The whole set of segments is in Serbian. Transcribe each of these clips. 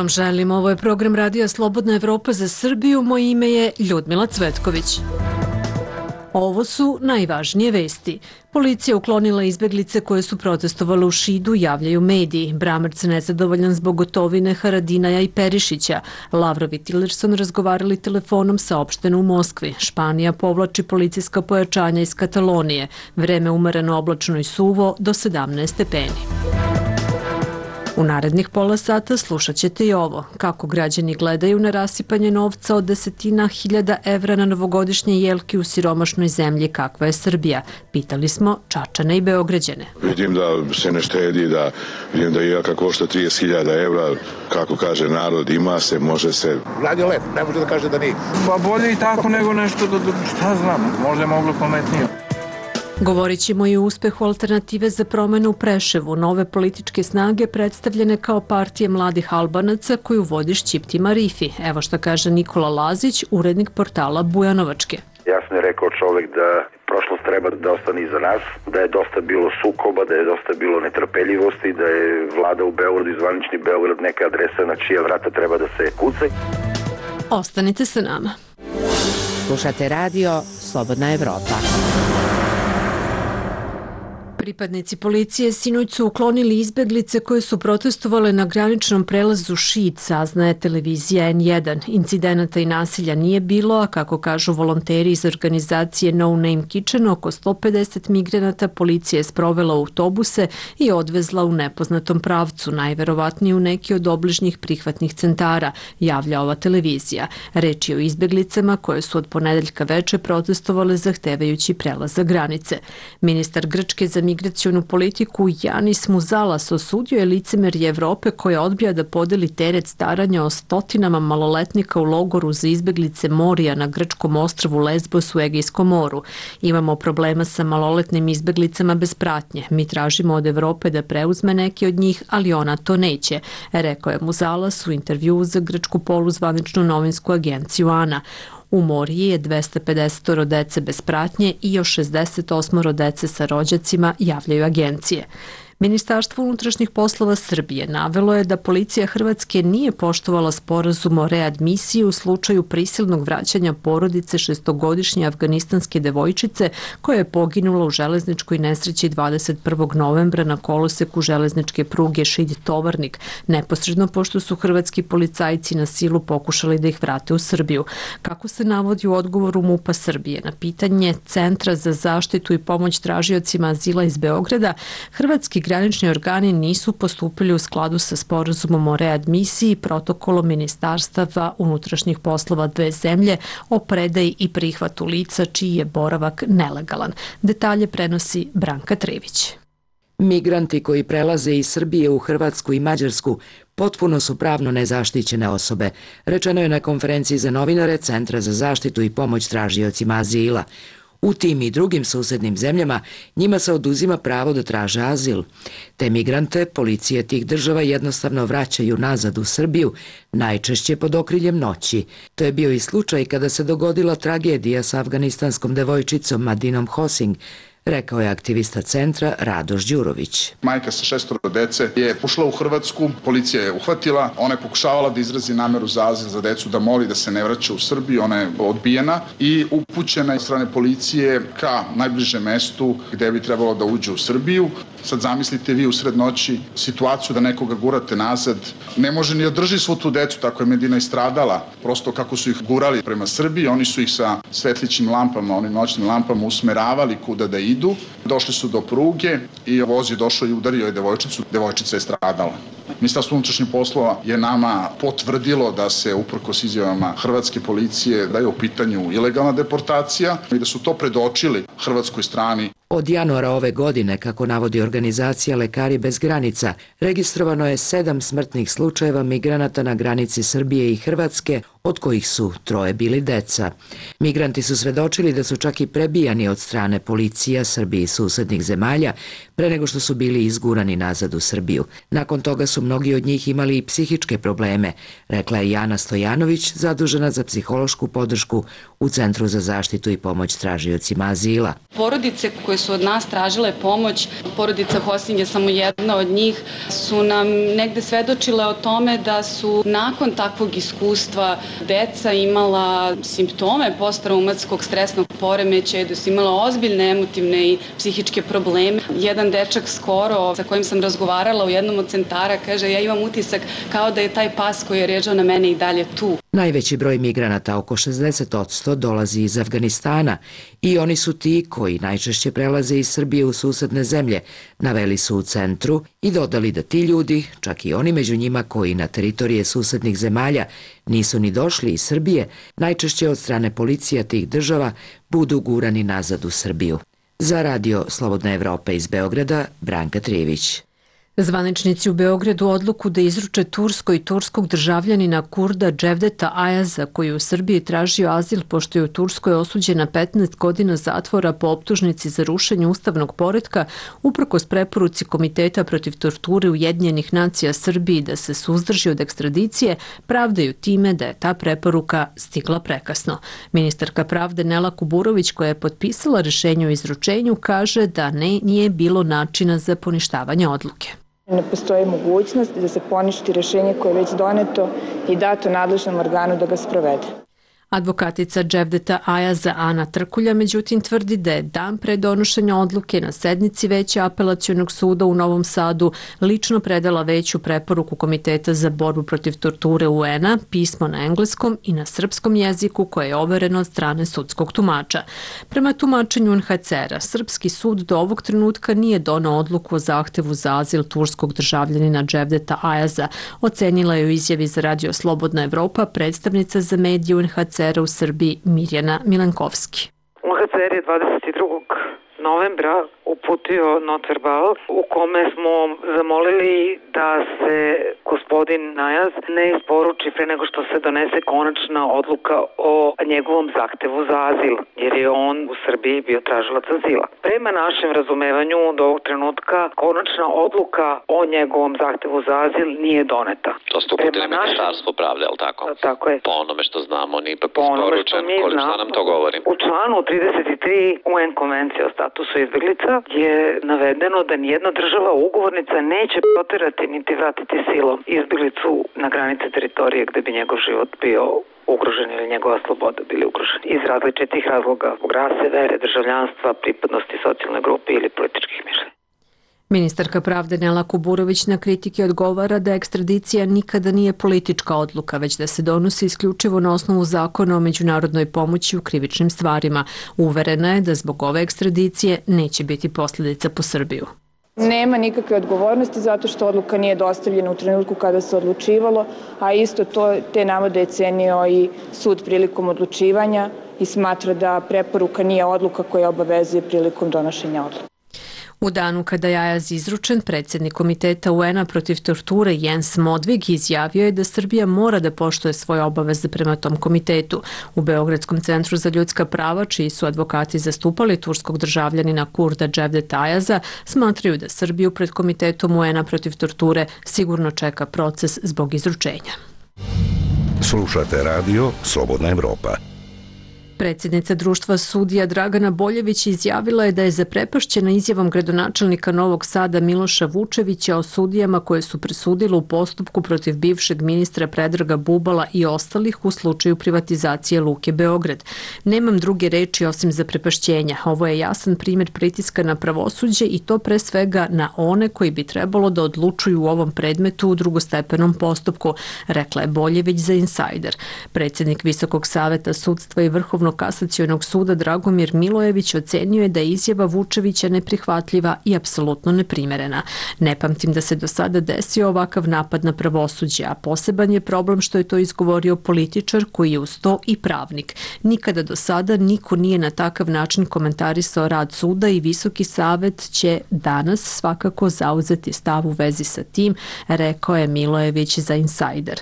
vam želim. Ovo je program Radija Slobodna Evropa za Srbiju. Moje ime je Ljudmila Cvetković. Ovo su najvažnije vesti. Policija uklonila izbeglice koje su protestovale u Šidu, javljaju mediji. Bramerc nezadovoljan zbog Gotovine, Haradinaja i Perišića. Lavrov i Tillerson razgovarali telefonom, saopšteno u Moskvi. Španija povlači policijska pojačanja iz Katalonije. Vreme umereno, oblačno i suvo do 17 stepeni. U narednih pola sata slušat ćete i ovo. Kako građani gledaju na rasipanje novca od desetina hiljada evra na novogodišnje jelke u siromašnoj zemlji kakva je Srbija. Pitali smo Čačane i Beograđane. Vidim da se ne štedi, vidim da jelka košta 30.000 evra. Kako kaže narod, ima se, može se. Rad je lep, ne može da kaže da nije. Pa bolje i tako nego nešto, šta znam, možda je moglo pametnije. Govorit ćemo i o uspehu Alternative za promenu u Preševu, nove političke snage predstavljene kao partije mladih Albanaca koju vodi Šćipti Marifi. Evo šta kaže Nikola Lazić, urednik portala Bujanovačke. Jasno je rekao čovek da prošlost treba da ostane iza nas, da je dosta bilo sukoba, da je dosta bilo netrpeljivosti, da je vlada u Beogradu i zvanični Beograd neka adresa na čija vrata treba da se kuca. Ostanite sa nama. Slušate radio Slobodna Evropa. Pripadnici policije sinoć su uklonili izbeglice koje su protestovale na graničnom prelazu Šid, saznaje televizija N1. Incidenata i nasilja nije bilo, a kako kažu volonteri iz organizacije No Name Kitchen, oko 150 migranata policija je sprovela u autobuse i odvezla u nepoznatom pravcu, najverovatnije u neki od obližnjih prihvatnih centara, javlja ova televizija. Reč je o izbeglicama koje su od ponedeljka veče protestovale zahtevajući prelazak granice. Ministar Grčke za migracionu politiku Janis Muzalas osudio je licemerje Evrope koja odbija da podeli teret staranja o stotinama maloletnika u logoru za izbeglice Morija na grčkom ostrvu Lesbos u Egejskom moru. Imamo problema sa maloletnim izbeglicama bez pratnje. Mi tražimo od Evrope da preuzme neke od njih, ali ona to neće, rekao je Muzalas u intervjuu za grčku poluzvaničnu novinsku agenciju ANA. U Moriji je 250 dece bez pratnje i još 68 dece sa rođacima, javljaju agencije. Ministarstvo unutrašnjih poslova Srbije navelo je da policija Hrvatske nije poštovala sporazum o readmisiji u slučaju prisilnog vraćanja porodice šestogodišnje afganistanske devojčice koja je poginula u železničkoj nesreći 21. novembra na koloseku železničke pruge Šid-Tovarnik, neposredno pošto su hrvatski policajci na silu pokušali da ih vrate u Srbiju. Kako se navodi u odgovoru MUP-a Srbije na pitanje Centra za zaštitu i pomoć tražiocima azila iz Beograda, hrvatski granični organi nisu postupili u skladu sa sporazumom o readmisiji i protokolom Ministarstava unutrašnjih poslova dve zemlje o predaji i prihvatu lica čiji je boravak nelegalan. Detalje prenosi Branka Trević. Migranti koji prelaze iz Srbije u Hrvatsku i Mađarsku potpuno su pravno nezaštićene osobe, rečeno je na konferenciji za novinare Centra za zaštitu i pomoć tražiocima azila. U tim i drugim susednim zemljama njima se oduzima pravo da traže azil. Te migrante policije tih država jednostavno vraćaju nazad u Srbiju, najčešće pod okriljem noći. To je bio i slučaj kada se dogodila tragedija sa afganistanskom devojčicom Madinom Hosing, rekao je aktivista centra Radoš Đurović. Majka sa 6 dece je ušla u Hrvatsku, policija je uhvatila, ona je pokušavala da izrazi nameru za azil za decu, da moli da se ne vraća u Srbiju, ona je odbijena i upućena od strane policije ka najbližem mestu gde bi trebalo da uđe u Srbiju. Sad zamislite vi usred noći situaciju da nekoga gurate nazad, ne može ni održi svu tu decu, tako je Medina istradala, prosto kako su ih gurali prema Srbiji, oni su ih sa svetlićim lampama, onim noćnim lampama usmeravali kuda da idu. Došli su do pruge i voz je došao i udario je devojčicu. Devojčica je stradala. Ministarstvo unutrašnjih poslova je nama potvrdilo da se uprkos izjavama hrvatske policije da je u pitanju ilegalna deportacija i da su to predočili hrvatskoj strani. Od januara ove godine, kako navodi organizacija Lekari bez granica, registrovano je 7 smrtnih slučajeva migranata na granici Srbije i Hrvatske od kojih su 3 bili deca. Migranti su svedočili da su čak i prebijani od strane policija Srbije i susednih zemalja pre nego što su bili izgurani nazad u Srbiju. Nakon toga su mnogi od njih imali i psihičke probleme, rekla je Jana Stojanović, zadužena za psihološku podršku u Centru za zaštitu i pomoć tražiocima azila. Porodice koje su od nas tražile pomoć, porodica Hosing je samo jedna od njih, su nam negde svedočile o tome da su nakon takvog iskustva deca imala simptome posttraumatskog stresnog poremećaja, da su imala ozbiljne emotivne i psihičke probleme. Jedan dečak skoro sa kojim sam razgovarala u jednom od centara kaže ja imam utisak kao da je taj pas koji je ređao na mene i dalje tu. Najveći broj migranata, oko 60%, dolazi iz Afganistana i oni su ti koji najčešće prelaze iz Srbije u susedne zemlje, naveli su u centru i dodali da ti ljudi, čak i oni među njima koji na teritorije susednih zemalja nisu ni došli iz Srbije, najčešće od strane policija tih država budu gurani nazad u Srbiju. Za Radio Slobodna Evropa iz Beograda, Branka Trijević. Zvaničnici u Beogradu odluku da izruče Turskoj i turskog državljanina Kurda Cevdeta Ayaza, koji je u Srbiji tražio azil pošto je u Turskoj osuđen na 15 godina zatvora po optužnici za rušenje ustavnog poretka, uprkos preporuci Komiteta protiv torture Ujedinjenih nacija Srbiji da se suzdrži od ekstradicije, pravdaju time da je ta preporuka stigla prekasno. Ministarka pravde Nela Kuburović, koja je potpisala rešenje o izručenju, kaže da nije bilo načina za poništavanje odluke. Ne postoji mogućnost da se poništi rešenje koje je već doneto i dato nadležnom organu da ga sprovede. Advokatica Cevdeta Ayaza Ana Trkulja međutim tvrdi da je dan pre donošenja odluke na sednici Veća apelacionog suda u Novom Sadu lično predala veću preporuku Komiteta za borbu protiv torture UN-a, pismo na engleskom i na srpskom jeziku koje je overeno od strane sudskog tumača. Prema tumačenju UNHCR-a, srpski sud do ovog trenutka nije doneo odluku o zahtevu za azil turskog državljanina Cevdeta Ayaza, ocenila je u izjavi za Radio Slobodna Evropa predstavnica za medije UNHCR u Srbiji Mirjana Milenkovski. UNHCR je 22. novembra uputio notverbal u kome smo zamolili da se gospodin Najaz ne isporuči pre nego što se donese konačna odluka o njegovom zahtevu za azil, jer je on u Srbiji bio tražilac azila. Prema našem razumevanju do ovog trenutka konačna odluka o njegovom zahtevu za azil nije doneta. To ste uputili Ministarstvo pravde, ali tako? Tako je. Po onome što znamo, on je ipak isporučen. Šta nam to govori? U članu 33 UN konvencije o statusu izbeglica je navedeno da nijedna država ugovornica neće proterati niti vratiti silom izbeglicu na granice teritorije gde bi njegov život bio ugrožen ili njegova sloboda bili ugroženi. Iz različitih razloga, zbog rase, vere, državljanstva, pripadnosti socijalnoj grupi ili političkih mišljenja. Ministarka pravde Nela Kuburović na kritike odgovara da ekstradicija nikada nije politička odluka, već da se donosi isključivo na osnovu zakona o međunarodnoj pomoći u krivičnim stvarima. Uverena je da zbog ove ekstradicije neće biti posljedica po Srbiju. Nema nikakve odgovornosti zato što odluka nije dostavljena u trenutku kada se odlučivalo, a isto te navode je cenio i sud prilikom odlučivanja i smatra da preporuka nije odluka koja obavezuje prilikom donošenja odluka. U danu kada je Ayazi izručen, predsjednik Komiteta UN-a protiv torture Jens Modvig izjavio je da Srbija mora da poštuje svoje obaveze prema tom komitetu. U Beogradskom centru za ljudska prava, čiji su advokati zastupali turskog državljanina Kurda Cevdeta Ayaza, smatraju da Srbiju pred Komitetom UN-a protiv torture sigurno čeka proces zbog izručenja. Slušate radio Slobodna Evropa. Predsjednica društva sudija Dragana Boljević izjavila je da je zaprepašćena izjavom gradonačelnika Novog Sada Miloša Vučevića o sudijama koje su presudile u postupku protiv bivšeg ministra Predraga Bubala i ostalih u slučaju privatizacije Luke Beograd. Nemam druge reči osim zaprepašćenja. Ovo je jasan primjer pritiska na pravosuđe i to pre svega na one koji bi trebalo da odlučuju u ovom predmetu u drugostepenom postupku, rekla je Boljević za Insider. Predsjednik Visokog saveta sudstva i Vrhovnog Vrhovnog kasacionog suda Dragomir Milojević ocenio je da je izjava Vučevića neprihvatljiva i apsolutno neprimerena. Ne pamtim da se do sada desio ovakav napad na pravosuđe, a poseban je problem što je to izgovorio političar koji je uz to i pravnik. Nikada do sada niko nije na takav način komentarisao rad suda i Visoki savet će danas svakako zauzeti stav u vezi sa tim, rekao je Milojević za Insider.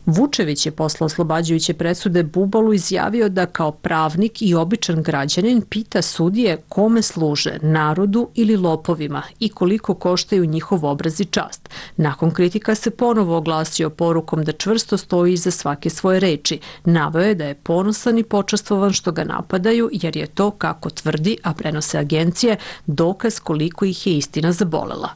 Vučević je posle oslobađajuće presude Bubalu izjavio da kao pravnik i običan građanin pita sudije kome služe, narodu ili lopovima i koliko koštaju njihov obraz i čast. Nakon kritika se ponovo oglasio porukom da čvrsto stoji iza svake svoje reči. Naveo je da je ponosan i počastvovan što ga napadaju jer je to, kako tvrdi, a prenose agencije, dokaz koliko ih je istina zabolela.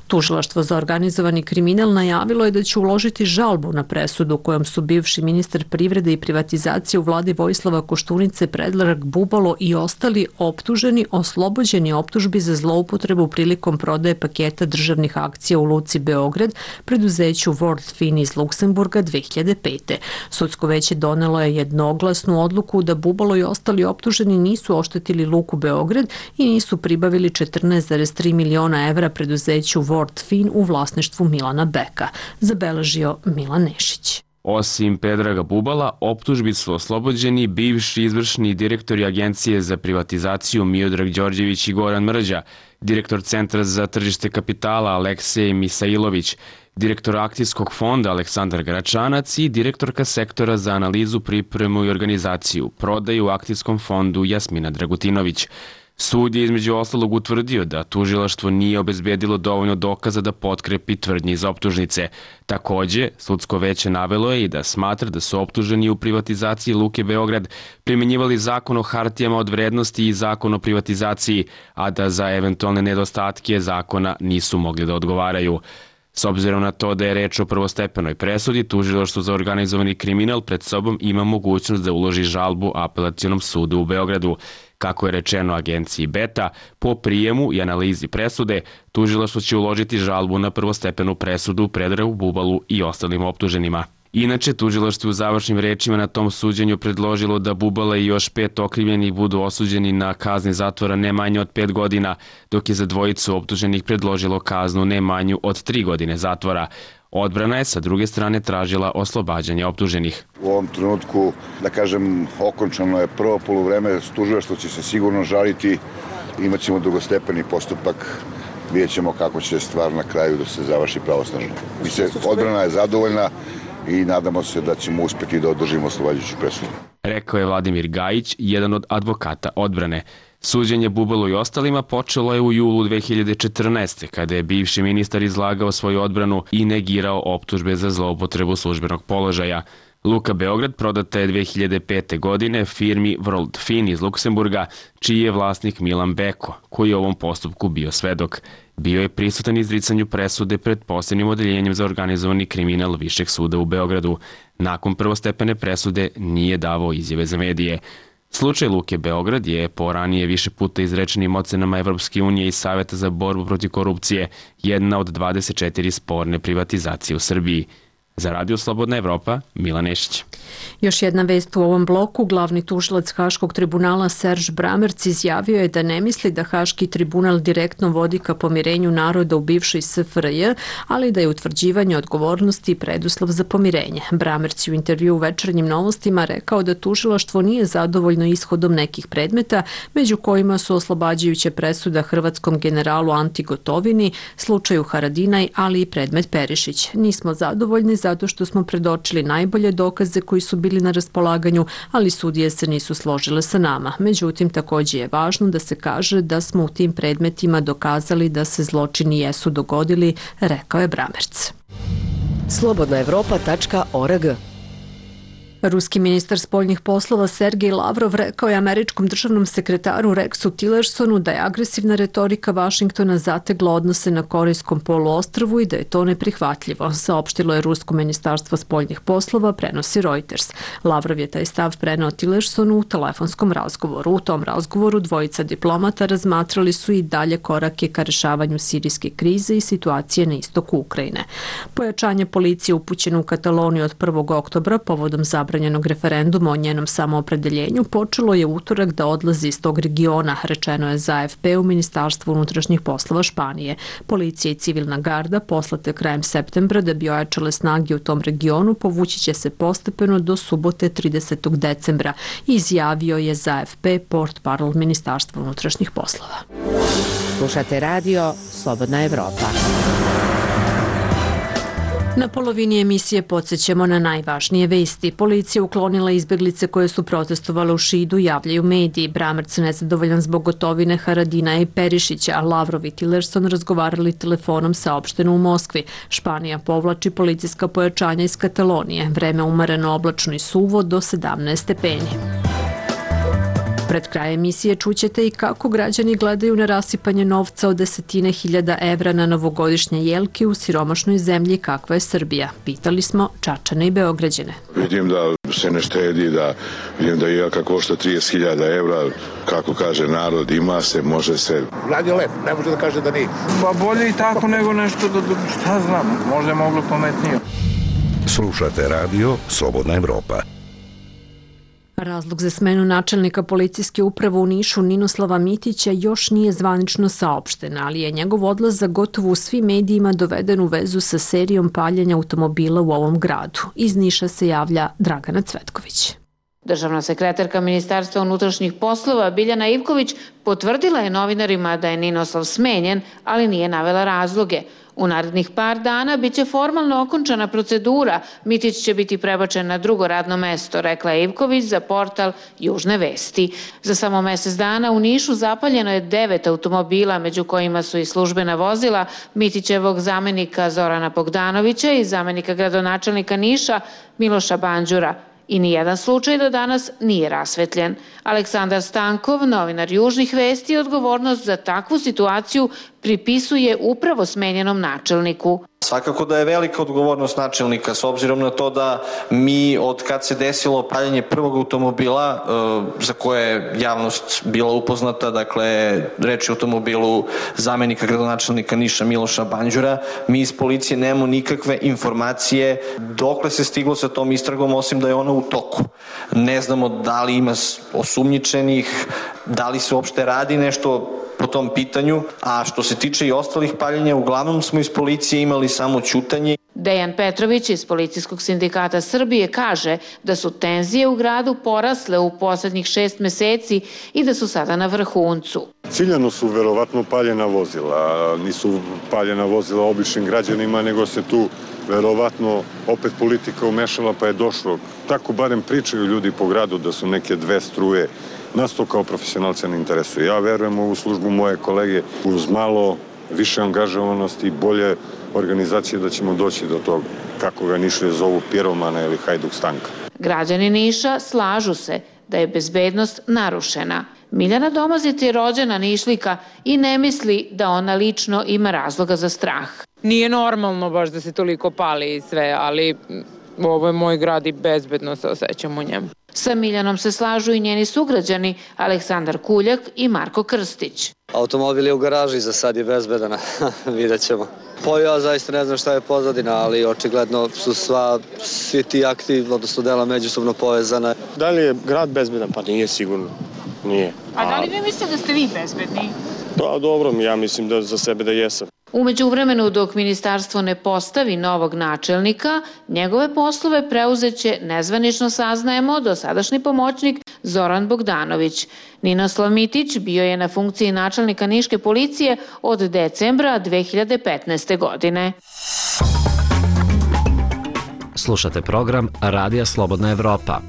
Tužilaštvo za organizovani kriminal najavilo je da će uložiti žalbu na presudu kojom su bivši ministar privrede i privatizacije u vladi Vojislava Koštunice, Predrag Bubalo i ostali optuženi oslobođeni optužbi za zloupotrebu prilikom prodaje paketa državnih akcija u Luci Beograd preduzeću World Fin iz Luksemburga 2005. Sudsko veće donelo je jednoglasnu odluku da Bubalo i ostali optuženi nisu oštetili Luku Beograd i nisu pribavili 14,3 miliona evra preduzeću World Fin u vlasništvu Milana Beka, zabeležio Milan Nešić. Osim Predraga Bubala, optužbi su oslobođeni bivši izvršni direktori Agencije za privatizaciju Miodrag Đorđević i Goran Mrđa, direktor Centra za tržište kapitala Aleksej Misailović, direktor Akcijskog fonda Aleksandar Gračanac i direktorka sektora za analizu, pripremu i organizaciju, prodaju u Akcijskom fondu Jasmina Dragutinović. Sud je između ostalog utvrdio da tužilaštvo nije obezbedilo dovoljno dokaza da potkrepi tvrdnje iz optužnice. Takođe, sudsko veće navelo je i da smatra da su optuženi u privatizaciji Luke Beograd primenjivali zakon o hartijama od vrednosti i zakon o privatizaciji, a da za eventualne nedostatke zakona nisu mogli da odgovaraju. S obzirom na to da je reč o prvostepenoj presudi, tužilaštvo za organizovani kriminal pred sobom ima mogućnost da uloži žalbu Apelacionom sudu u Beogradu. Kako je rečeno agenciji Beta, po prijemu i analizi presude, tužilaštvo će uložiti žalbu na prvostepenu presudu Predragu Bubalu i ostalim optuženima. Inače, tužilaštvo u završnim rečima na tom suđenju predložilo da Bubala i još 5 okrivljenih budu osuđeni na kazne zatvora ne manje od 5 godina, dok je za dvojicu optuženih predložilo kaznu ne manju od 3 godine zatvora. Odbrana je sa druge strane tražila oslobađanje optuženih. U ovom trenutku, da kažem, okončano je prvo poluvreme, tužilaštvo će se sigurno žaliti, imaćemo drugostepeni postupak, vidjet ćemo kako će stvar na kraju da se završi pravosnažno. Odbrana je zadovoljna i nadamo se da ćemo uspeti da održimo oslobađajuću presudu. Rekao je Vladimir Gajić, jedan od advokata odbrane. Suđenje Bubalu i ostalima počelo je u julu 2014. kada je bivši ministar izlagao svoju odbranu i negirao optužbe za zloupotrebu službenog položaja. Luka Beograd prodata je 2005. godine firmi World Fin iz Luksemburga, čiji je vlasnik Milan Beko, koji je u ovom postupku bio svedok. Bio je prisutan izricanju presude pred posebnim odeljenjem za organizovani kriminal Višeg suda u Beogradu. Nakon prvostepene presude nije davao izjave za medije. Slučaj Luke Beograd je po ranije više puta izrečenim ocenama Evropske unije i Saveta za borbu protiv korupcije jedna od 24 sporne privatizacije u Srbiji. Za Radio Slobodna Evropa, Milan Nešić. Još jedna vest u ovom bloku. Glavni tužilac Haškog tribunala Serž Bramerc izjavio je da ne misli da Haški tribunal direktno vodi ka pomirenju naroda u bivšoj SFRJ, ali da je utvrđivanje odgovornosti preduslov za pomirenje. Bramerc je u intervju u Večernjim novostima rekao da tužilaštvo nije zadovoljno ishodom nekih predmeta, među kojima su oslobađajuća presuda hrvatskom generalu Anti Gotovini, slučaju Haradinaj, ali i predmet Perišić. Nismo zadovoljni zato što smo predočili najbolje dokaze koji su bili na raspolaganju, ali sudije se nisu složile sa nama. Međutim, takođe je važno da se kaže da smo u tim predmetima dokazali da se zločini jesu dogodili, rekao je Bramerc. Slobodnaevropa.org. Ruski ministar spoljnih poslova Sergej Lavrov rekao je američkom državnom sekretaru Rexu Tillersonu da je agresivna retorika Vašingtona zategla odnose na Korejskom poluostrvu i da je to neprihvatljivo, saopštilo je Rusko ministarstvo spoljnih poslova, prenosi Reuters. Lavrov je taj stav preneo Tillersonu u telefonskom razgovoru. U tom razgovoru dvojica diplomata razmatrali su i dalje korake ka rešavanju sirijske krize i situacije na istoku Ukrajine. Pojačanje policije upućeno u Kataloniju od 1. oktobra povodom zabrane zabranjenog referenduma o njenom samoopredeljenju počelo je utorak da odlazi iz tog regiona, rečeno je za AFP u Ministarstvu unutrašnjih poslova Španije. Policija i civilna garda poslate krajem septembra da bi ojačale snage u tom regionu povući će se postepeno do subote 30. decembra, izjavio je za AFP portparol Ministarstva unutrašnjih poslova. Slušate radio Slobodna Evropa. Na polovini emisije podsjećamo na najvažnije vesti. Policija uklonila izbeglice koje su protestovale u Šidu, javljaju mediji. Bramerc nezadovoljan zbog Gotovine, Haradina i Perišića. Lavrov i Tillerson razgovarali telefonom, saopšteno u Moskvi. Španija povlači policijska pojačanja iz Katalonije. Vreme umereno, oblačno i suvo do 17 stepeni. Pred kraj emisije čućete i kako građani gledaju na rasipanje novca od desetine hiljada evra na novogodišnje jelke u siromašnoj zemlji kakva je Srbija. Pitali smo Čačane i Beograđane. Vidim da se ne štedi, vidim da jelka košta 30.000 evra, kako kaže narod, ima se, može se. Grad je lep, ne može da kaže da nije. Pa bolje i tako nego nešto šta znam, možda je moglo pametnije. Slušate radio Slobodna Evropa. Razlog za smenu načelnika policijske uprave u Nišu Ninoslava Mitića još nije zvanično saopšten, ali je njegov odlazak gotovo u svim medijima doveden u vezu sa serijom paljenja automobila u ovom gradu. Iz Niša se javlja Dragana Cvetković. Državna sekretarka Ministarstva unutrašnjih poslova Biljana Ivković potvrdila je novinarima da je Ninoslav smenjen, ali nije navela razloge. U narednih par dana biće formalno okončana procedura. Mitić će biti prebačen na drugo radno mesto, rekla je Ivković za portal Južne vesti. Za samo mesec dana u Nišu zapaljeno je 9 automobila, među kojima su i službena vozila Mitićevog zamenika Zorana Bogdanovića i zamenika gradonačelnika Niša Miloša Banđura. I nijedan slučaj do danas nije rasvetljen. Aleksandar Stankov, novinar Južnih vesti, odgovornost za takvu situaciju pripisuje upravo smenjenom načelniku. Svakako da je velika odgovornost načelnika, s obzirom na to da mi od kad se desilo paljenje prvog automobila, za koje je javnost bila upoznata, dakle reč je o automobilu zamenika gradonačelnika Niša Miloša Banđura, mi iz policije nemamo nikakve informacije dokle se stiglo sa tom istragom, osim da je ona u toku. Ne znamo da li ima osumnjičenih, da li se uopšte radi nešto po tom pitanju, a što se tiče i ostalih paljenja, uglavnom smo iz policije imali samo ćutanje. Dejan Petrović iz Policijskog sindikata Srbije kaže da su tenzije u gradu porasle u poslednjih 6 meseci i da su sada na vrhuncu. Ciljano su verovatno paljena vozila, nisu paljena vozila običnim građanima, nego se tu verovatno opet politika umešala pa je došlo. Tako barem pričaju ljudi po gradu da su neke 2 struje. Nas to kao profesionalce ne interesuje. Ja verujem u službu moje kolege uz malo više angažovanosti i bolje organizacije da ćemo doći do toga, kako ga Nišlije zovu, piromana ili hajduk Stanka. Građani Niša slažu se da je bezbednost narušena. Miljana Domazit je rođena Nišlika i ne misli da ona lično ima razloga za strah. Nije normalno baš da se toliko pali i sve, ali ovo je moj grad i bezbedno se osjećam u njemu. Sa Miljanom se slažu i njeni sugrađani Aleksandar Kuljak i Marko Krstić. Automobil je u garaži, za sad je bezbedan, vidjet ćemo. Pa ja zaista ne znam šta je pozadina, ali očigledno su svi ti akti, odnosno dela međusobno povezana. Da li je grad bezbedan? Pa nije sigurno, nije. A da li vi mislite da ste vi bezbedni? Pa dobro, ja mislim da za sebe da jesam. Umeđu vremenu, dok ministarstvo ne postavi novog načelnika, njegove poslove preuzeće, nezvanično saznajemo, dosadašnji pomoćnik Zoran Bogdanović. Ninoslav Mitić bio je na funkciji načelnika Niške policije od decembra 2015. godine. Slušate program Radija Slobodna Evropa.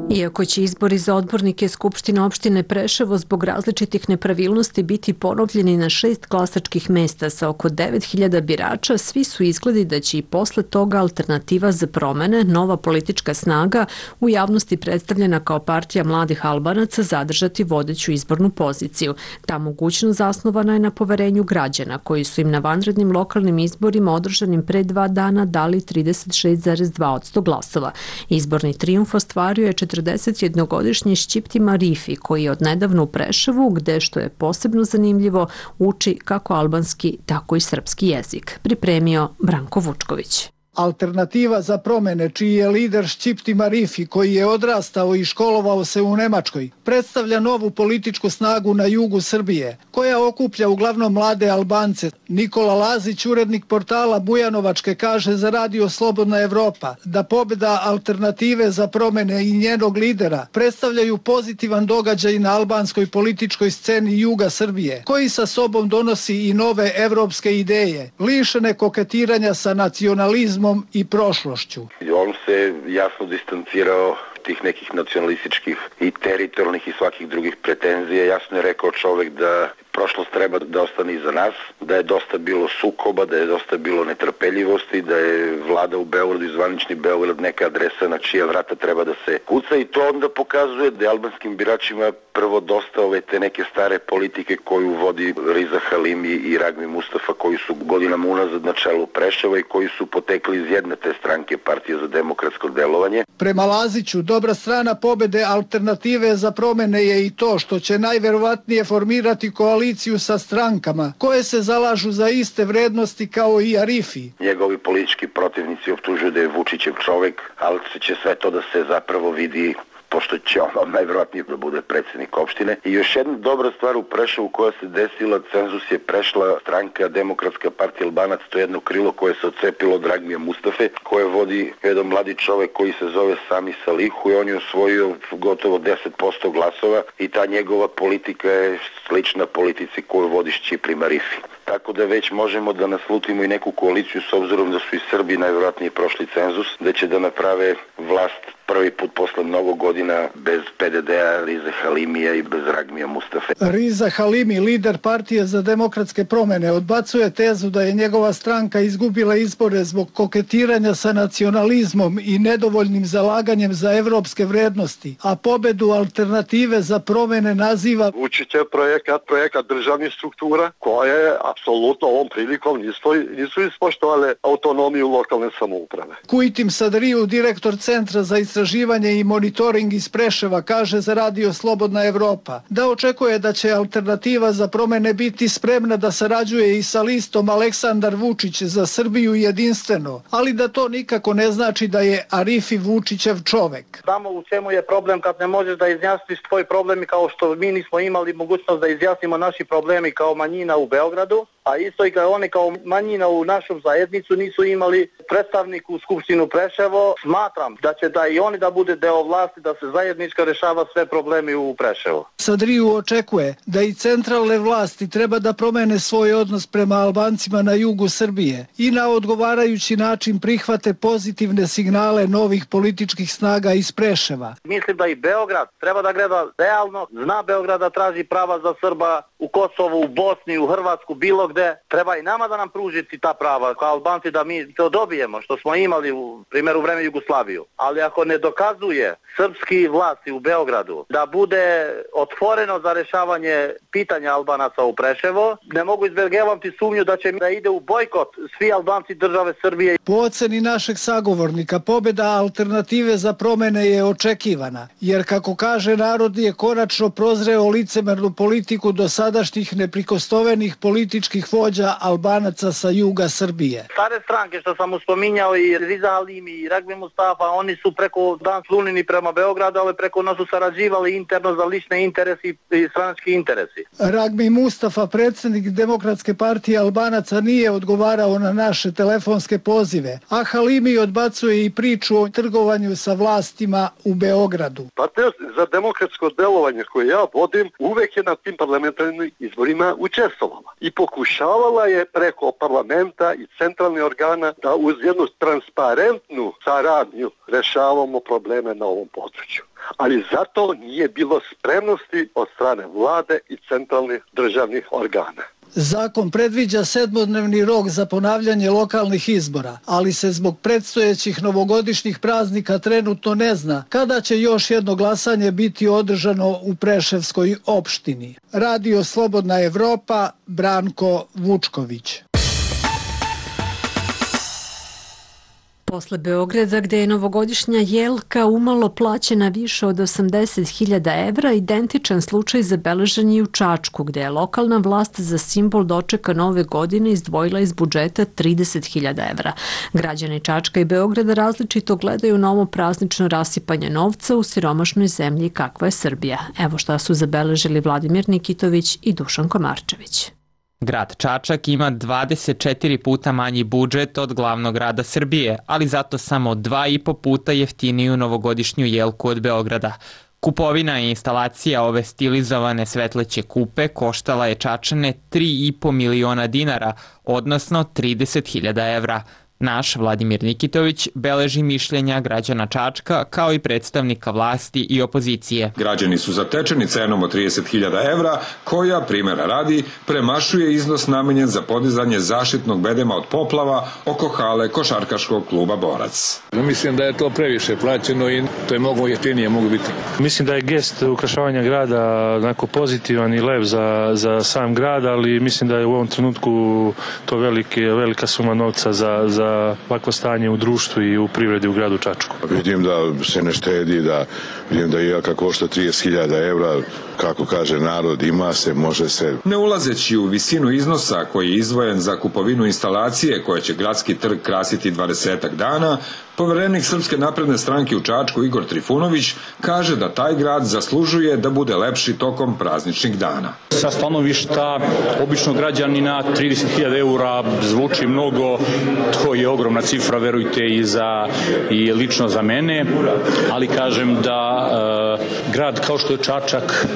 Iako će izbori za odbornike Skupštine opštine Preševo zbog različitih nepravilnosti biti ponovljeni na 6 glasačkih mesta sa oko 9.000 birača, svi su izgledi da će i posle toga Alternativa za promene, nova politička snaga, u javnosti predstavljena kao partija mladih Albanaca, zadržati vodeću izbornu poziciju. Ta mogućnost zasnovana je na poverenju građana, koji su im na vanrednim lokalnim izborima održanim pre 2 dana dali 36,2% glasova. Izborni trijumf ostvario je 41-godišnji Šćiptima Rifi, koji je odnedavno u Preševu, gde, što je posebno zanimljivo, uči kako albanski, tako i srpski jezik. Pripremio Branko Vučković. Alternativa za promene, čiji je lider Šćipti Marifi, koji je odrastao i školovao se u Nemačkoj, predstavlja novu političku snagu na jugu Srbije, koja okuplja uglavnom mlade Albance. Nikola Lazić, urednik portala Bujanovačke, kaže za Radio Slobodna Evropa da pobjeda Alternative za promene i njenog lidera predstavljaju pozitivan događaj na albanskoj političkoj sceni juga Srbije, koji sa sobom donosi i nove evropske ideje, lišene koketiranja sa nacionalizmom i prošlošću. On se jasno distancirao tih nekih nacionalističkih i teritorijalnih i svakih drugih pretenzija. Jasno je rekao čovjek da prošlost treba da ostane iza nas, da je dosta bilo sukoba, da je dosta bilo netrpeljivosti, da je vlada u Beogradu i zvanični Beograd neka adresa na čija vrata treba da se kuca i to onda pokazuje da je albanskim biračima prvo dosta te neke stare politike koju vodi Riza Halimi i Ragmi Mustafa, koji su godinama unazad na čelu Preševa i koji su potekli iz jedne te stranke, Partije za demokratsko delovanje. Prema Laziću, dobra strana pobjede Alternative za promene je i to što će najverovatnije formirati koaliciju sa strankama koje se zalažu za iste vrednosti kao i Arifi. Njegovi politički protivnici optužuju da je Vučićev čovjek, ali će sve to da se zapravo vidi pošto će on najvjerojatnije da bude predsjednik opštine. I još jedna dobra stvar u Preševu koja se desila, cenzus je prešla stranka Demokratska partija Albanaca, to je jedno krilo koje se odcepilo od Ragmija Mustafe, koje vodi jedan mladi čovjek koji se zove Sami Salihu i on je osvojio gotovo 10% glasova i ta njegova politika je slična politici koju vodi Šćipri Marifi. Tako da već možemo da naslutimo i neku koaliciju s obzirom da su i Srbi najvjerojatnije prošli cenzus, da će da naprave vlast prvi put posle mnogo godina bez PDD-a, Rize Halimija i bez Ragmija Mustafe. Riza Halimi, lider Partije za demokratske promene, odbacuje tezu da je njegova stranka izgubila izbore zbog koketiranja sa nacionalizmom i nedovoljnim zalaganjem za evropske vrednosti, a pobedu Alternative za promene naziva Vučićev projekat državnih struktura koje apsolutno ovom prilikom nisu ispoštovale autonomiju lokalne samouprave. Kujtim Sadriju, direktor Centra za istraživanje i monitoring iz Preševa, kaže za Radio Slobodna Evropa da očekuje da će Alternativa za promene biti spremna da sarađuje i sa listom Aleksandar Vučić za Srbiju jedinstveno, ali da to nikako ne znači da je Arifi Vučićev čovek. Znamo u čemu je problem kad ne možeš da izjasniš tvoj problemi kao što mi nismo imali mogućnost da izjasnimo naši problemi kao manjina u Beogradu, a isto i kao oni kao manjina u našom zajednicu nisu imali predstavnik u Skupštinu Preševo. Smatram da će da i oni da bude deo vlasti, da se zajednički rešava sve problemi u Preševu. Sadriju očekuje da i centralne vlasti treba da promene svoj odnos prema Albancima na jugu Srbije i na odgovarajući način prihvate pozitivne signale novih političkih snaga iz Preševa. Mislim da i Beograd treba da gleda realno, zna Beograd da traži prava za Srba u Kosovu, u Bosni, u Hrvatsku, bilo gde. Treba i nama da nam pružiti ta prava kao Albanci da mi to dobijemo što smo imali u primjer u vreme Jugoslaviju. Ali ako ne dokazuje srpski vlasti u Beogradu da bude otvoreno za rešavanje pitanja Albanaca u Preševo, ne mogu izbjegavati sumnju da će da ide u bojkot svi Albanci države Srbije. Po oceni našeg sagovornika, pobjeda Alternative za promene je očekivana, jer kako kaže narod je konačno prozreo licemernu politiku dosadašnjih neprikosnovenih političkih vođa Albanaca sa juga Srbije. Stare stranke što sam uspominjao i Riza Halimi i Ragmi Mustafa, oni su preko dan slunini prema Beogradu, ali preko nas su sarađivali interno za lične interesi i stranački interesi. Ragmi Mustafa, predsjednik Demokratske partije Albanaca, nije odgovarao na naše telefonske pozive, a Halimi odbacuje i priču o trgovanju sa vlastima u Beogradu. Partija za demokratsko delovanje koje ja vodim uvek je na tim parlamentarnim izborima učestvovala i pokušavala je preko parlamenta i centralnih organa da uz jednu transparentnu saradnju rešavamo probleme na ovom području. Ali zato nije bilo spremnosti od strane vlade i centralnih državnih organa. Zakon predviđa 7-dnevni rok za ponavljanje lokalnih izbora, ali se zbog predstojećih novogodišnjih praznika trenutno ne zna kada će još jedno glasanje biti održano u Preševskoj opštini. Radio Slobodna Evropa, Branko Vučković. Posle Beograda, gde je novogodišnja jelka umalo plaćena više od 80.000 evra, identičan slučaj zabeležen je u Čačku, gde je lokalna vlast za simbol dočeka nove godine izdvojila iz budžeta 30.000 evra. Građani Čačka i Beograda različito gledaju na ovo praznično rasipanje novca u siromašnoj zemlji kakva je Srbija. Evo šta su zabeležili Vladimir Nikitović i Dušan Komarčević. Grad Čačak ima 24 puta manji budžet od glavnog grada Srbije, ali zato samo 2,5 puta jeftiniju novogodišnju jelku od Beograda. Kupovina i instalacija ove stilizovane svetleće kupe koštala je Čačane 3,5 miliona dinara, odnosno 30.000 evra. Naš Vladimir Nikitović beleži mišljenja građana Čačka kao i predstavnika vlasti i opozicije. Građani su zatečeni cenom od 30.000 evra, koja, primjera radi, premašuje iznos namenjen za podizanje zaštitnog bedema od poplava oko hale košarkaškog kluba Borac. Mislim da je to previše plaćeno i to je mogu jeftinije mogu biti. Mislim da je gest ukrašavanja grada onako pozitivan i lep za sam grad, ali mislim da je u ovom trenutku to velika suma novca za ovakvo stanje u društvu i u privredi u gradu Čačku. Vidim da se ne štedi, vidim da jelka košta 30.000 evra, kako kaže narod, ima se, može se. Ne ulazeći u visinu iznosa koji je izdvojen za kupovinu instalacije koja će gradski trg krasiti 20 dana, poverenik Srpske napredne stranke u Čačku Igor Trifunović kaže da taj grad zaslužuje da bude lepši tokom prazničnih dana. Sa stanovišta običnog građanina 30.000 eura zvuči mnogo, to je ogromna cifra, verujte, i lično za mene, ali kažem da grad kao što je Čačak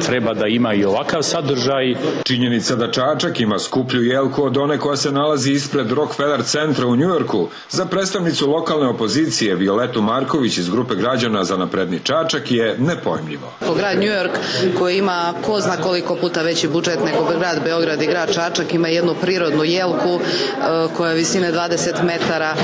treba da ima i ovakav sadržaj. Činjenica da Čačak ima skuplju jelku od one koja se nalazi ispred Rockefeller centra u Njujorku, za predstavnicu lokalne opozicije Violetu Marković iz grupe građana za napredni Čačak je nepojmljivo. Grad Njujork koji ima ko zna koliko puta veći budžet nego grad Beograd i grad Čačak ima jednu prirodnu jelku koja je visine 20 metara.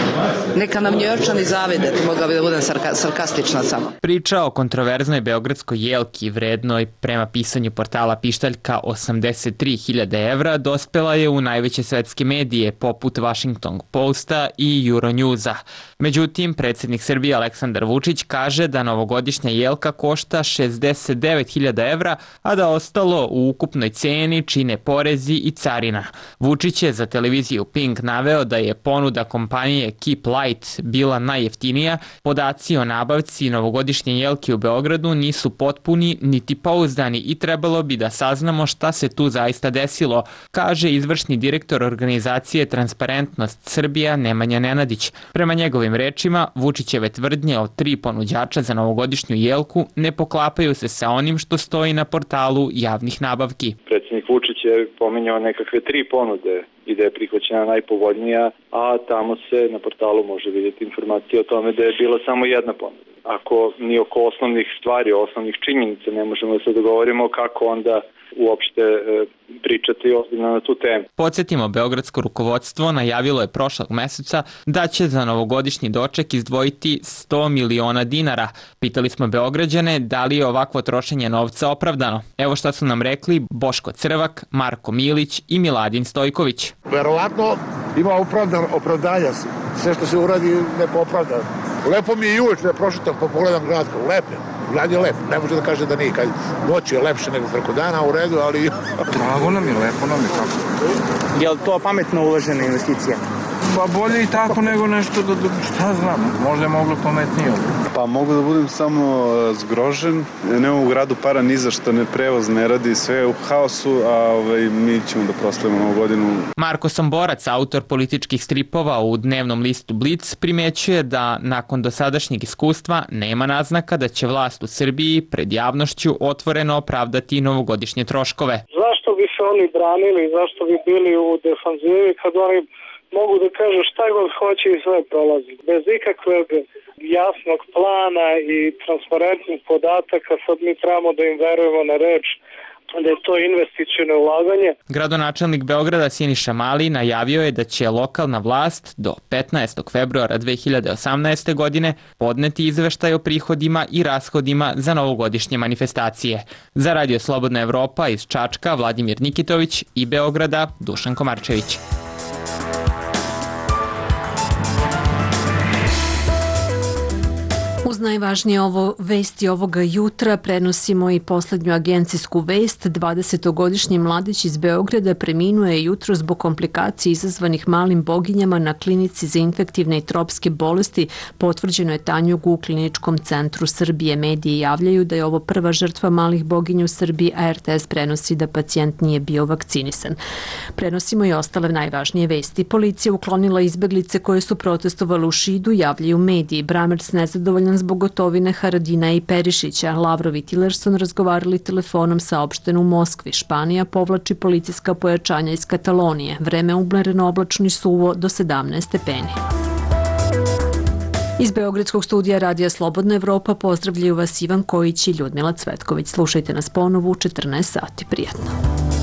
Neka nam Njujorčani zavide, mogla bi da budem sarkastična samo. Priča o kontroverznoj beogradskoj jelki vrednoj prema pisanju portala Pištaljka 83.000 evra dospela je u najveće svetske medije poput Washington Posta i Euronewsa. Međutim, predsjednik Srbije Aleksandar Vučić kaže da novogodišnja jelka košta 69.000 evra, a da ostalo u ukupnoj ceni čine porezi i carina. Vučić je za televiziju Pink naveo da je ponuda kompanije Keep Light bila najjeftinija. Podaci o nabavci novogodišnje jelke u Beogradu nisu potpuni niti pouzdani i trebalo bi da saznamo šta se tu zaista desilo, kaže izvršni direktor organizacije Transparentnost Srbija Nemanja Nenadić. Prema njegovim rečima, Vučićeve tvrdnje o 3 ponuđača za novogodišnju jelku ne poklapaju se sa onim što stoji na portalu javnih nabavki. Predsjednik Vučić je pominjao nekakve 3 ponude i da je prihvaćena najpovoljnija, a tamo se na portalu može vidjeti informacija o tome da je bila samo jedna ponuda. Ako ni oko osnovnih stvari, osnovnih činjenica ne možemo da se dogovorimo, kako onda uopšte pričati ozbiljno na tu temu. Podsjetimo, beogradsko rukovodstvo najavilo je prošlog meseca da će za novogodišnji doček izdvojiti 100 miliona dinara. Pitali smo Beograđane da li je ovakvo trošenje novca opravdano. Evo šta su nam rekli Boško Crvak, Marko Milić i Miladin Stojković. Verovatno ima opravdanja, sve što se uradi ne opravda. Lepo mi je i uveč da prošetam pa pogledam grad, grad je lep, ne može da kaže da nije, kad noći je lepše nego preko dana, u redu, ali... Drago nam je, lepo nam je tako. Je li to pametno uložena investicija? Pa bolje i tako nego nešto šta znam, možda je moglo pametnije. Pa mogu da budem samo zgrožen, nema u gradu para ni za što, ne prevoz ne radi, sve je u haosu, a mi ćemo da proslavimo novu godinu. Marko Somborac, autor političkih stripova u dnevnom listu Blic, primećuje da nakon dosadašnjeg iskustva nema naznaka da će vlast u Srbiji pred javnošću otvoreno opravdati novogodišnje troškove. Zašto bi se oni branili, zašto bi bili u defanzivi kad oni mogu da kažu šta god hoće i sve prolazi. Bez ikakvog jasnog plana i transparentnih podataka sad mi trebamo da im verujemo na reč da je to investiciono ulaganje. Gradonačelnik Beograda Siniša Mali najavio je da će lokalna vlast do 15. februara 2018. godine podneti izveštaj o prihodima i rashodima za novogodišnje manifestacije. Za Radio Slobodna Evropa iz Čačka Vladimir Nikitović i Beograda Dušan Komarčević. Uz najvažnije vesti ovoga jutra prenosimo i poslednju agencijsku vest. 20-godišnji mladić iz Beograda preminuo je jutro zbog komplikacija izazvanih malim boginjama na klinici za infektivne i tropske bolesti. Potvrđeno je Tanjugu u Kliničkom centru Srbije. Mediji javljaju da je ovo prva žrtva malih boginja u Srbiji, a RTS prenosi da pacijent nije bio vakcinisan. Prenosimo i ostale najvažnije vesti. Policija uklonila izbeglice koje su protestovale u Šidu, javljaju mediji. Bramerc nezadovoljan zbog Gotovine, Haradina i Perišića. Lavrov i Tillerson razgovarali telefonom, saopšteno u Moskvi. Španija povlači policijska pojačanja iz Katalonije. Vreme umereno oblačno i suvo do 17 stepeni. Iz Beogradskog studija Radija Slobodna Evropa pozdravljaju vas Ivan Kojić i Ljudmila Cvetković. Slušajte nas ponovo u 14 sati. Prijatno.